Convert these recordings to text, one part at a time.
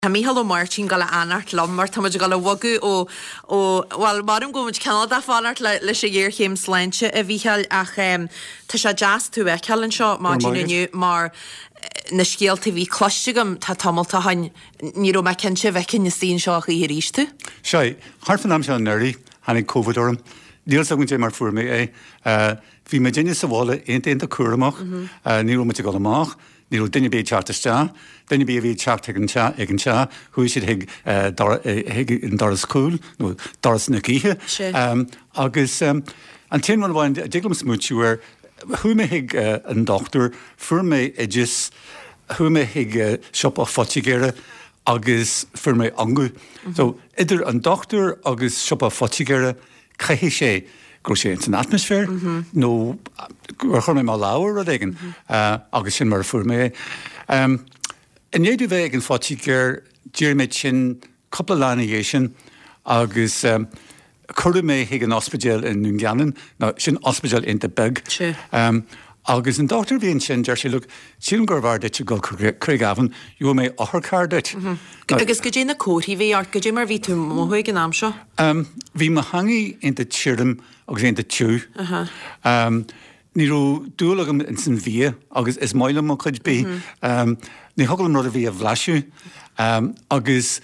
Tá Mícheál Ó Máirtín ag dul a fhanacht liom mar tá muid ag dul a bhogadh ó, ó, bhuel, maram go bhfuil muid cineál de fanacht le, leis an ghéarchéim sláinte, a Mhícheáil, ach tá sé deas tú a fheiceáil anseo maidin inniu mar na scéalta a bhí cloiste agam tá tamalt ó shin, ní raibh mé cinnte an bhfeicfinn istigh anseo a choíche arís tú. Sea, thart fán am seo anuraidh, tháinig Covid orm. Níl 'fhios agam goidé mar fuair mé é. Bhí muidinne sa bhaile iontach iontach cúramach, ní raibh muid ag dul amach, Ní raibh duine ar bith ag teacht isteach. Duine ar bith a bhí ag teacht chuig an teach, ag an teach, chuaigh siad chuig chuig an doras cúil, nó doras na gaoithe. Agus an t-aon rud amháin a dtig liom smaointiú air, chuaigh mé chuig an dochtúir, fuair mé oideas, chuaigh mé chuig siopa phoitigéara agus fuair mé ungadh. So, idir an dochtúir agus siopa phoitigéara, Caithfidh sé go raibh sé ins an atmaisféar nó gur chuir mé mo lámh ar rud éigin agus sin mar a fuair mé é. I ndiaidh domh bheith ag an phoitigéir, d'éirigh mé tinn cúpla lá ina dhiaidh sin agus cuireadh mé chuig an ospidéal i nDún Geanainn, nó sin ospidéal iontach beag. Agus an dochtúir a bhí ansin, deir sé, look, sílim gurbh fhearr duit a dhul chuig Craigavon, gheobhaidh mé otharcharr duit. Agus goidé na comharthaí a bhí ort, goidé mar a bhí tú ag mothú ag an am seo? Bhí mo theangaidh iontach tirim agus iontach tiubh. Ní raibh dúil agam ins an bhia agus is maith liom mo chuid bídh. Ní thiocfadh liom rud ar bith a bhlaiseadh. Agus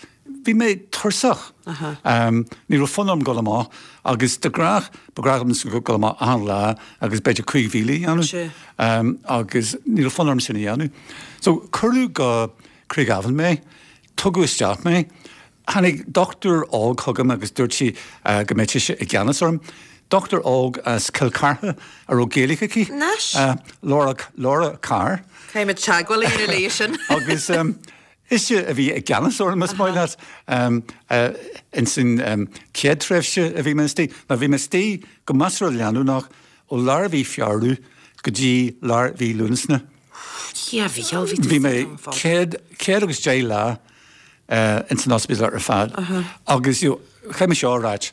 Bhí mé tuirseach. Ní raibh fonn orm dul amach agus de ghnáth, ba ghnách liom dul amach achan lá agus b'fhéidir 5,000 a dhéanamh agus ní raibh fonn orm sin a dhéanamh. So cuireadh go Craigavon mé, tugadh isteach mé, tháinig dochtúir óg chugam agus dúirt sí go mbeadh sise i gceannas orm. Dochtúir óg as Cill Chartha a raibh Gaeilge aici, Laura, Laura Carr. Caithfidh muid teagmháil a dhéanamh léi sin. Agus Ise a bhí i gceannas orm, más maith leat, ins an chéad tréimhse a bhí mé istigh. Now bhí mé istigh go measartha leanúnach ó lár mhí Feabhra go dtí lár mhí Lúnasa. Dia Mhícheál, bhí tú Bhí mé 110 lá ins an ospidéal ar fad agus you know, chaithfidh mé seo a ráit,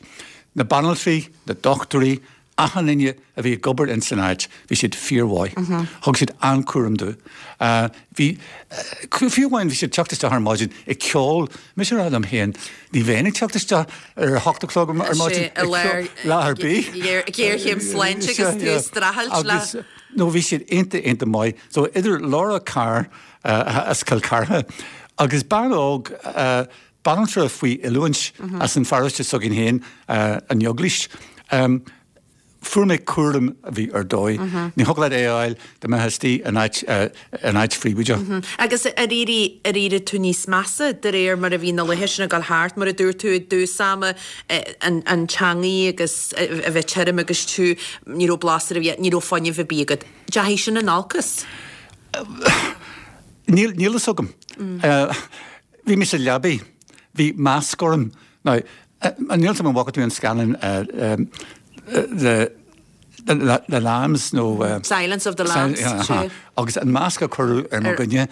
na banaltraí, na dochtúirí, Achan duine a bhí ag obair ins an áit, bhí siad fíormhaith. Thug siad an-chúram domh. Bhí, fiú amháin bhí siad ag teacht isteach ar maidin ag ceol. Mise ag rá liom féin, ní bheinn ag teacht isteach ar a hocht a chlog ar maidin ag ceol lá ar bith. Géarchéim sláinte agus tú ag streachailt le. Agus, no, bhí siad iontach, iontach maith. So idir Laura Carr as Cill Chartha agus bean óg, Banaltra faoi oiliúint as an pharóiste s'againn féin, an Eaglais. Fuair mé cúram a bhí ar dóigh. Ní thiocfadh leat é a fháil dá mbeifeá istigh in áit, in áit phríobháideach. Agus ar éirigh, ar éirigh tú níos measa de réir mar a bhí na laetha sin ag dul thart, mar a dúirt tú i dtús ama, an, an teangaidh agus a bheith tirim agus tiubh, ní raibh blas ar an bhia, ní raibh fuinneamh ar bith agat. Deachaigh sin in olcas? Níl, níl fhios agam. Bhí mé sa leabaidh. Bhí masc orm. Now, níl 'fhios agam an bhfaca tú an scannán The the Lambs nó Silence of the Lambs, sea. Agus an masc a cuireadh ar mo dhuine.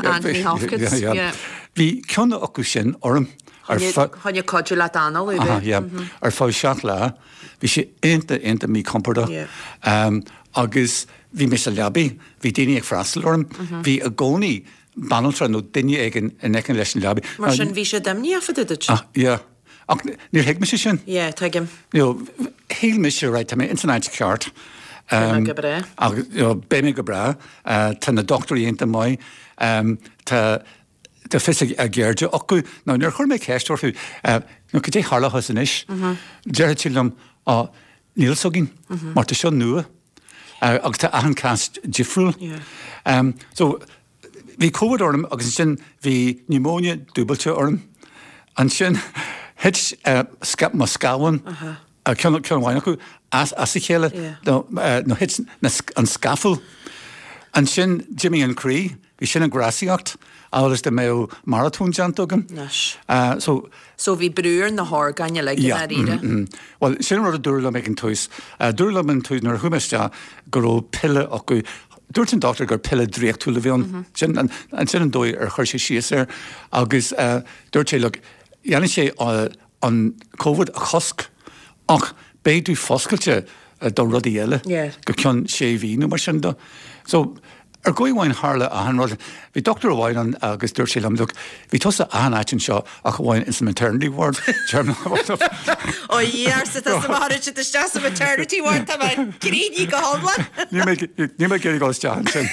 Anthony Hopkins, yeah. Bhí ceann acu sin orm ar feadh. Chun cuidiú leat análú, b'ea? Yeah. Ar feadh 7 lá. Bhí sé iontach, iontach míchompordach. Agus bhí mé sa leabaidh. Bhí daoine ag freastal orm. Bhí i gcónaí banaltra nó duine éigin in aice leis an leabaidh. Mar sin, bhí siad imníoch fá dtaobh duit. Ah, yeah. Ach níor thuig mise sin. Yeah, tuigim. You know, shíl mise, right, tá mé ins an áit ceart. Beidh mé go breá. Agus, you know, beidh mé go breá. Tá na dochtúirí iontach maith. Tá, tá fios a gceirde acu. Now, níor chuir mé ceist orthu, you know, cad é tharlóchas anois? Déarfadh siad liom, oh, níl fhios againn, mar tá seo nua. Agus tá achan cás difriúil. So, bhí Covid orm agus ansin bhí pneumonia dúbailte orm. Ansin thit mo scamhán, ceann amháin acu, as a chéile, nó thit an scafall. Ansin d'imigh an croí. Bhí sin ag rásaíocht, amhail is dá mbeadh maratón déanta agam. Anois. So. So bhí brú ar na horgáin uilig i ndáiríre. Bhuel, sin an rud a dúradh liom ag an tús. Dúradh liom an tús, nuair a chuaigh mé isteach, go raibh pilleadh acu. Dúirt an dochtúir gur pilleadh draíochtúil a bhí ann. Sin an, sin an dóigh ar chuir sé síos air. Agus dúirt sé, look, dhéanfaidh sé an Covid a chosc ach beidh tú foscailte do rudaí eile go ceann sé mhí nó mar sin de. So. Ar dhóigh amháin tharla achan rud. Bhí dochtúir amháin ann agus dúirt sé liom, look, bhí tusa achan áit anseo ach amháin ins an maternity ward. Ó Dhia arsa tusa má thagann siad isteach sa maternity ward tá mé críochnaithe go hiomlán. Níl mé níl mé ag iarraidh dul isteach ansin.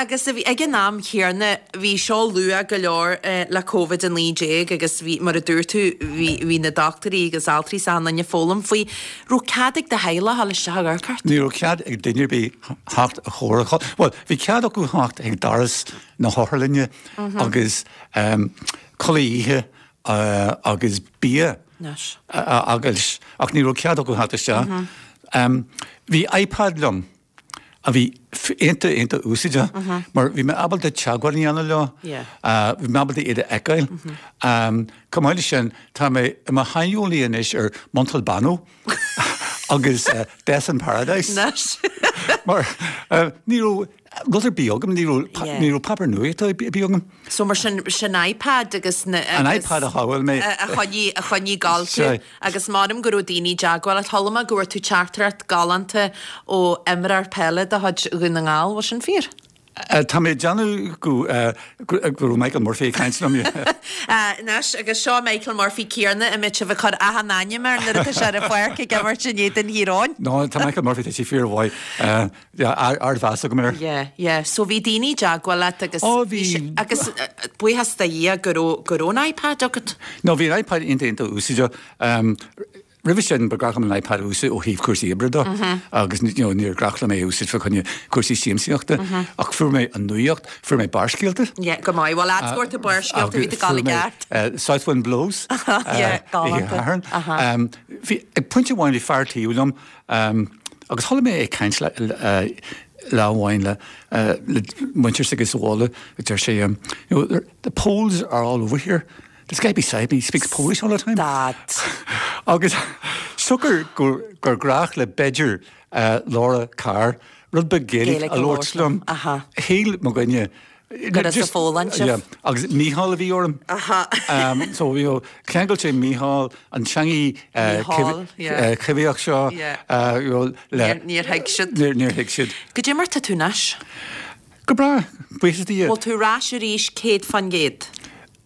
Agus a bhí ag an am chéanna bhí seo luath go leor le Covid-19 agus bhí mar a dúirt tú bhí bhí na dochtúirí agus altraí is achan duine ag foghlaim faoi. Raibh cead ag do theaghlach dul isteach ag amharc ort? Ní raibh cead ag duine ar bith theacht a chomhair. Bhuel, bhí cead acu theacht chuig doras na hotharlainne agus culaith oíche agus bia a fhágáil ach ní raibh cead acu theacht isteach. Bhí iPad liom. a bhí iontach iontach úsáideach mar bhí mé ábalta teagmháil a dhéanamh leo, bhí mé ábalta iad a fheiceáil. Chomh maith leis sin, tá mé i mo shaineolaí anois ar Montalbano agus Death in Paradise. Mar ní raibh rud ar bith agam, ní raibh páipéar nuachta ar bith agam. So mar sin, sin iPad agus na. An iPad a shábháil mé. A choinnigh, a choinnigh ag gabháil tú. Agus m'anam go raibh daoine i dteagmháil leat. Chuala mé go bhfuair tú teachtaireacht galánta ó imreoir peile de chuid Dhún na nGall, bhfuil sin fíor? Tá mé ag déanamh go raibh Michael Murphy ag caint liom. Anois, agus seo Michael Murphy céanna a mbeidh sibh ag cur achan ainm air nuair atá sé ar an pháirc ag imirt in éadan Thír Eoghain. No, tá Michael Murphy, tá sé fíormhaith. Yeah, ardmheas agam air. Yeah, yeah. So bhí daoine i dteagmháil leat agus. Oh, bhí. Agus buíochas do Dhia go raibh, go raibh an iPad agat. No, bhí an iPad iontach, iontach úsáideach. Roimhe sin, ba ghnách liom an iPad a úsáid ó thaobh cúrsaí oibre de agus you know, níor ghnách liom é a úsáid fá choinne cúrsaí siamsaíochta. Ach fuair mé an nuacht, fuair mé Barrscéalta. Yeah, go maith. Bhuel, fhad go raibh tú Barrscéalta, bhí tú ag gabháil i gceart. South Wind Blows. Yeah, galánta. Bhí, ag pointe amháin bhí fear taobh liom, Agus chuala mé é ag caint lá amháin le muintir s'aige sa bhaile, deir sé, you know, the Poles are all over here. This guy beside me speaks Polish all the time. Dad. Agus siocair gur gnách le b'fhéidir Laura Carr rud beag Gaeilge a labhairt liom, shíl mo dhuine Go raibh sa Pholainn sibh. Yeah, agus Mícheál a bhí orm. Aha. So, you know, cheangail sé Mícheál, an teangaidh choimhthíoch seo, you know, le. Níor thuig siad. Níor thuig siad. Goidé mar tá tú anois? Go breá, buíochas do Dhia. Bhfuil tú ar ais arís 100%?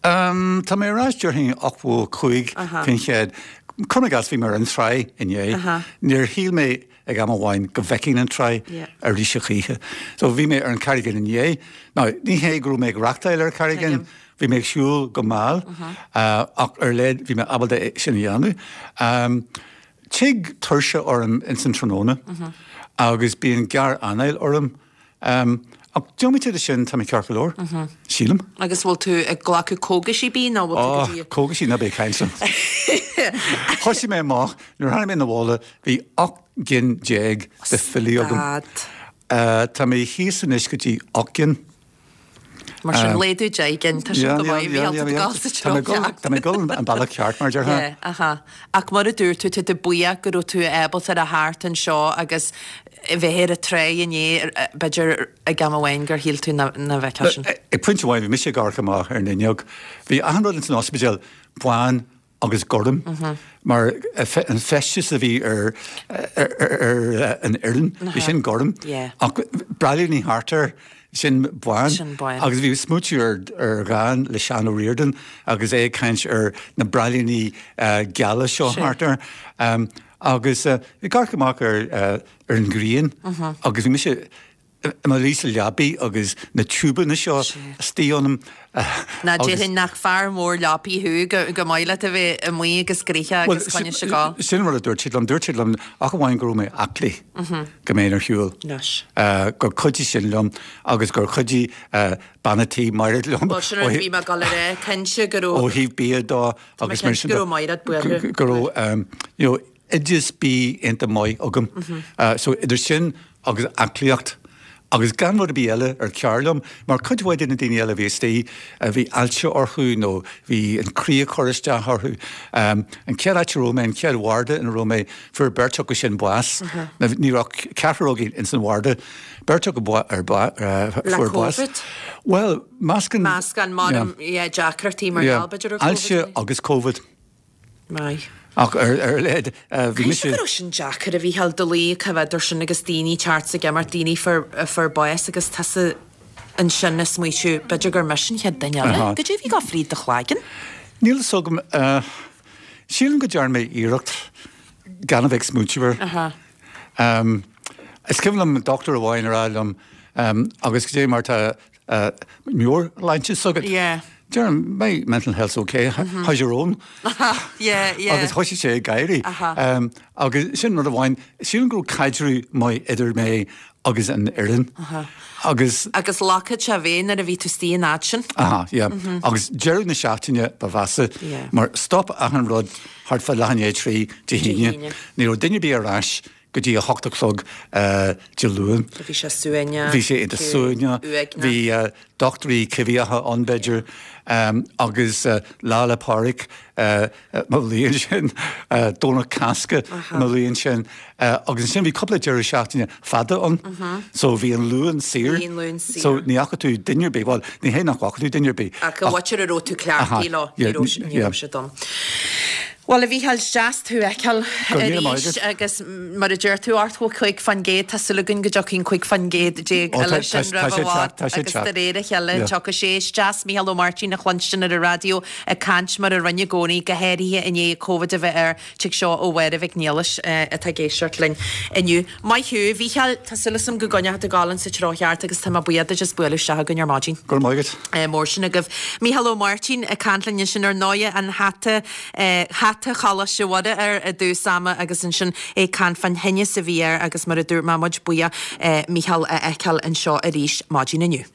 Tá mé ar ais déarfainn 85%. Cuir i gcás, bhí mé ar an tráigh inné. Níor shíl mé ag am amháin go bhfeicfinn an tráigh arís a choíche. So bhí mé ar an Carraig Fhinn inné. Now, ní hé go raibh mé ag rachtáil ar an Charraig Fhinn, bhí mé ag siúl go mall, ach ar a laghad bhí mé ábalta é sin a dhéanamh. Tig tuirse orm ins an tráthnóna agus bíonn gearr-anáil orm. Ach diomaite de sin, tá mé ceart go leor, sílim. Agus bhfuil tú ag glacadh cógaisí ar bith nó bhfuil tú go dtí. Ó, cógaisí, ná bí ag caint liom. Thosaigh mé amach, nuair a tháinig mé 'na bhaile, bhí 18 gcinn de phiollaí agam. Stad. Tá mé thíos anois go dtí 8 gcinn. Mar sin, laghdú 10 gcinn, tá sin go maith, bhí tú ag dul sa treo ceart. Tá mé ag dul an bealach ceart, mar a déarfá. Yeah, aha. Ach mar a dúirt tú, tá tú buíoch go raibh tú ábalta a theacht anseo agus bheith ar an tráigh inné, b'fhéidir ag am amháin gur shíl tú nach bhfeicfeá sin. Ag pointe amháin, bhí mise ag amharc amach ar an fhuinneog. Bhí achan rud ins an ospidéal bán agus gorm mar an feisteas a bhí ar an fhoireann, bhí sin gorm ach braillíní thart air, sin bán agus bhí smaoitiú ar dhán le Seán Ó Ríordáin agus é ag caint ar na braillíní geala seo thart air agus ag amharc amach ar an ghrian agus bhí mise i mo luí sa leabaidh agus na tiúbanna seo istigh ionam Ná déarfainn nach fear mór leapaí thú, go maith leat a bheith amuigh agus gnoitheach agus coinne sé go. Sin an rud a dúirt siad liom, dúirt siad liom ach amháin go raibh mé aclaí go mbeinn ar shiúl. Gur chuidigh sin liom agus gur chuidigh bean a' tí Mairéad liom. Bhuel sin rud a bhí mé ag dul a rá, cinnte go raibh. Ó thaobh bia dó agus mar sin de. Go raibh Mairéad buartha. Go raibh, you know, oideas bídh iontach maith agam. So idir sin agus aclaíocht agus gan rud ar bith eile ar cearr liom, mar cuid mhaith de na daoine eile a bhí istigh, bhí ailse orthu nó bhí an croí ag cur isteach orthu. An chéad áit a raibh mé, an chéad bharda ina raibh mé, fuair beirt acu sin bás. Ní raibh ach ceathrar againn ins an bharda, beirt acu fuair bás. Le Covid? Bhuel, meascán. Meascán, mar, yeah, deacrachtaí mar gheall b'fhéidir ar Covid. Ailse agus Covid. Maith. Ach ar a laghad, bhí mise. Caithfidh go raibh sin deacair, a Mhícheáil, do luí cá bhfeadar sin agus daoine ag teacht 's ag imeacht, daoine a fuair bás agus tusa ansin ag smaoitiú, b'fhéidir gur mise an chéad duine eile. Goidé a bhí ag gabháil fríd do chloigeann? Níl fhios agam. Sílim go dtearn mé iarracht gan a bheith ag smaointiú air. Is cuimhin liom dochtúir amháin a rá liom, agus goidé mar tá meabhairshláinte s'agat? Deirim, my mental health's okay, how's your own? Agus thoisigh sé ag gáirí. Agus sin rud amháin, sílim go raibh caidreamh maith idir mé agus an fhoireann. Agus. Agus leagfadh sé bhéith nuair a bhí tú istigh an fhad sin. Aha, yeah. Agus deireadh na seachtaine ba mheasa, mar stop achan rud thart fá leath i ndiaidh 3 Dé hAoine. Ní raibh duine ar bith ar ais go dtí a hocht a chlog Dé Luain. Bhí sé suaimhneach. Bhí sé iontach suaimhneach. Bhí dochtúirí coimhthíocha ann b'fhéidir agus Lá 'le Pádraig mo bhliain sin, Domhnach Cásca mo bhliain sin agus ansin bhí cúpla deireadh seachtaine fada ann so bhí an Luan saor. Bhí an Luan saor. So ní fhaca tú duine ar bith, bhuel ní hé nach bhfaca tú duine ar bith. Ach an mhuintir a raibh tú cleachtaithe leo, ní raibh siad ann. Bhuel, a Mhícheáil, is deas tú a fheiceáil arís agus mar a deir tú, 85%, tá súil againn go dtiocfaidh an 15% eile sin roimh i bhfad agus de réir a chéile tiocfaidh sé. Is deas Mícheál Ó Máirtín a chluinstin ar an raidió ag caint mar a rinne i gcónaí, go háirithe i ndiaidh Covid a bheith air. Tig seo ó Mháire Mhic Niallais atá ag éisteacht linn inniu. Maith thú, a Mhícheáil, tá súil agam go gcoinneoidh tú ag gabháil insa treo cheart agus tá mé buíoch duit as bualadh isteach chugainn ar maidin. Go raibh maith agat. Mór sin agaibh. Mícheál Ó Máirtín ag caint linn ansin ar ndóighe, an hata, hata Choláiste Mhuire air i dtús ama agus ansin é ag caint fán thinneas a bhí air agus mar a dúirt mé, muid buíoch Mícheál a fheiceáil anseo arís maidin inniu.